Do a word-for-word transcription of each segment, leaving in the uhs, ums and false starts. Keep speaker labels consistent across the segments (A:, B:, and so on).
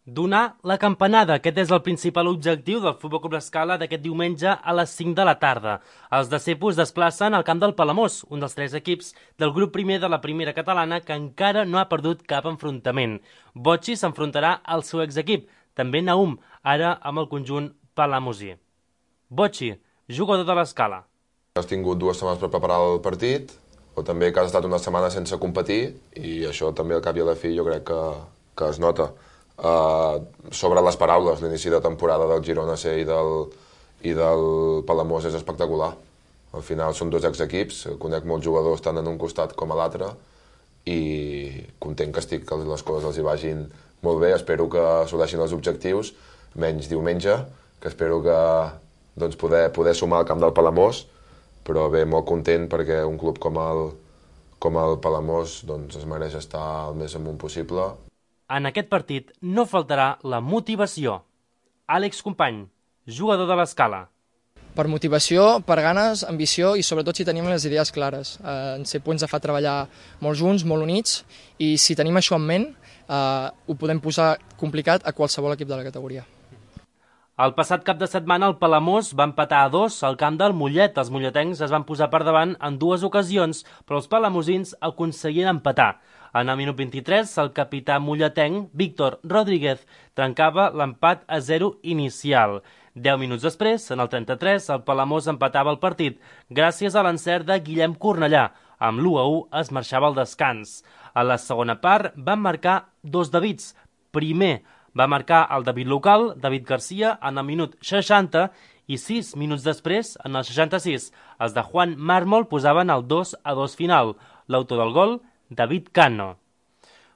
A: Donar la campanada, aquest és el principal objectiu del Futbol Club L'Escala d'aquest diumenge a les cinc de la tarda. Els de Cepos desplacen al camp del Palamós, un dels tres equips del grup primer de la primera catalana que encara no ha perdut cap enfrontament. Botxi s'enfrontarà al seu exequip, també Naum, ara amb el conjunt palamosí. Botxi, jugador de l'Escala.
B: Has tingut dues setmanes per preparar el partit, o també que has estat una setmana sense competir, i això també al cap i a la fi jo crec que, que es nota. Uh, sobre les paraules, l'inici de temporada del Girona C i del, i del Palamós és espectacular. Al final són dos exequips, conec molts jugadors tant en un costat com a l'altre i content que estic que les coses els hi vagin molt bé. Espero que assoleixin els objectius, menys diumenge, que espero que doncs, poder, poder sumar al camp del Palamós, però bé, molt content perquè un club com el, com el Palamós doncs, es mereix estar el més amunt possible.
A: En aquest partit no faltarà la motivació. Àlex Company, jugador de l'Escala.
C: Per motivació, per ganes, ambició i sobretot si tenim les idees clares. Eh, en Cepo ens fa treballar molt junts, molt units, i si tenim això en ment, eh, ho podem posar complicat a qualsevol equip de la categoria.
A: El passat cap de setmana el Palamós va empatar a dos al camp del Mollet. Els molletencs es van posar per davant en dues ocasions, però els palamosins aconseguien empatar. En el minut vint-i-tres, el capità molletenc, Víctor Rodríguez, trencava l'empat a zero inicial. Deu minuts després, en el trenta-tres, el Palamós empatava el partit, gràcies a l'encert de Guillem Cornellà. Amb l'u a u es marxava al descans. A la segona part van marcar dos Davids. Primer va marcar el David local, David Garcia, en el minut seixanta, i sis minuts després, en el seixanta-sis, els de Juan Mármol posaven el dos a dos final. L'autor del gol, David Cano.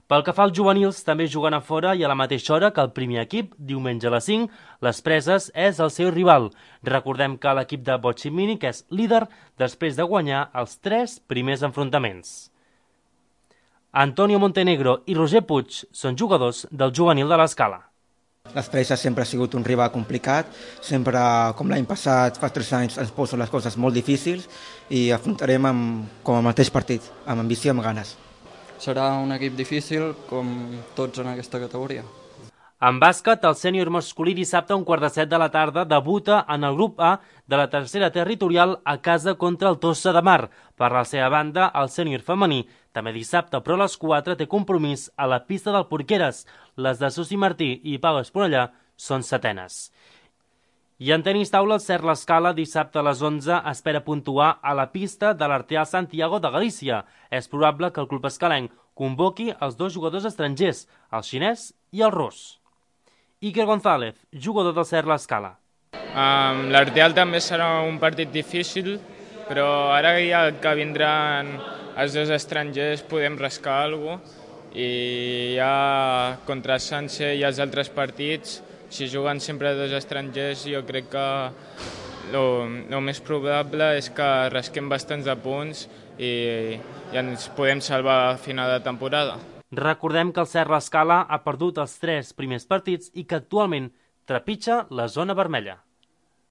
A: Pel que fa als juvenils, també juguen a fora i a la mateixa hora que el primer equip, diumenge a les cinc, les Preses és el seu rival. Recordem que l'equip de Botxi Mínic és líder després de guanyar els tres primers enfrontaments. Antonio Montenegro i Roger Puig són jugadors del juvenil de l'Escala.
D: Les Preses sempre ha sigut un rival complicat, sempre, com l'any passat, fa tres anys, ens posen les coses molt difícils i afrontarem amb, com el mateix partit, amb ambició i amb ganes.
E: Serà un equip difícil, com tots en aquesta categoria.
A: En bàsquet, el sènior masculí dissabte a un quart de set de la tarda debuta en el grup A de la tercera territorial a casa contra el Tossa de Mar. Per la seva banda, el sènior femení també dissabte, però a les quatre té compromís a la pista del Porqueres. Les de Susi Martí i Pau Esponellà són setenes. I en tenis taula, el Cert l'Escala dissabte a les onze espera puntuar a la pista de l'Arteal Santiago de Galícia. És probable que el club escalenc convoqui els dos jugadors estrangers, el xinès i el rus. Iker González, jugador del Cert l'Escala.
F: Um, L'Arteal també serà un partit difícil, però ara ja que vindran els dos estrangers podem rascar alguna cosa i ja contra Sanse i els altres partits, si juguen sempre dos estrangers, jo crec que el més probable és que rasquem bastants de punts i, i ens podem salvar a final de temporada.
A: Recordem que el Cert l'Escala ha perdut els tres primers partits i que actualment trepitja la zona vermella.